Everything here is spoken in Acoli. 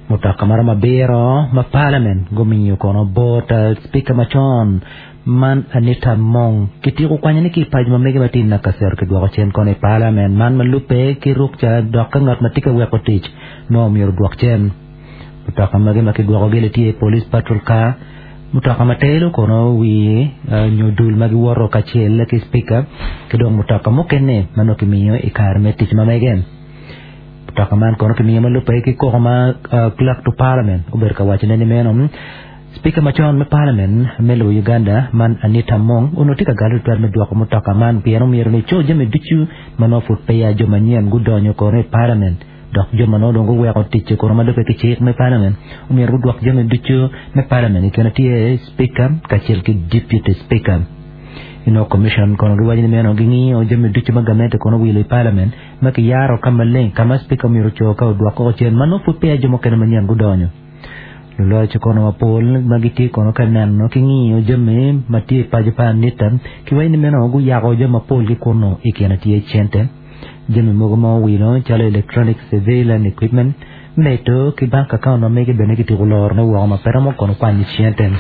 Mutoka maromo abiro ma Parliament gumiyo kono bot Speaker macon man Anita Among kityeko kwanyone ki i paco ma mege ma tye i Nakasero kidwoko cen kono i Parliament man ma lubbe ki rukca dok ka ngat ma tye ka weko tic nongo myero odwok cen. Mutoka magi ma kidwokogi ni tye Police Patrol Car, mutoka ma telo kono wi nyo dul ma giwoto kacel ki Speaker ki dong mutoka mukene ma nongo kimiyo i kare me tic ma mege. Mutoka man kono kimiyo ma lubbe ki koko ma Clerk to Parliament obedo ka wacone ni meno Speaker macon me Parliament me lobo Uganda man Anita Among onongo tye ka galo tutwal me dwoko mutoka man pien omyero ni eco jami ducu ma nongo pud peya jo manyen gudonyo kono i Parliament dok jo ma nongo dong guweko ticce kono ma lubbe ki cik me Parliament omyero gudwok jami ducu me Parliament i kine tye Speaker kacel ki Deputy Speaker. Inongo Commission kono giwaco ni meno gingiyo jami ducu ma gamente kono owilo i Parliament ma kiyaro ka maleng ka ma Speaker myero oco ka odwok koko cen ma nongo pud peya jo mukene manyen gudonyo. Luloc kono mapol ma gitye kono ka neno ki ngiyo jami ma tye i paco pa Anita kiwaco ni meno guyako jami mapol ki kunnu i kine tye cente, jami mogo ma owilo calo electronic surveillance equipment, medo ki bank account ma mege bene kityeko lorone woko ma pe romo kono kwanyo cente.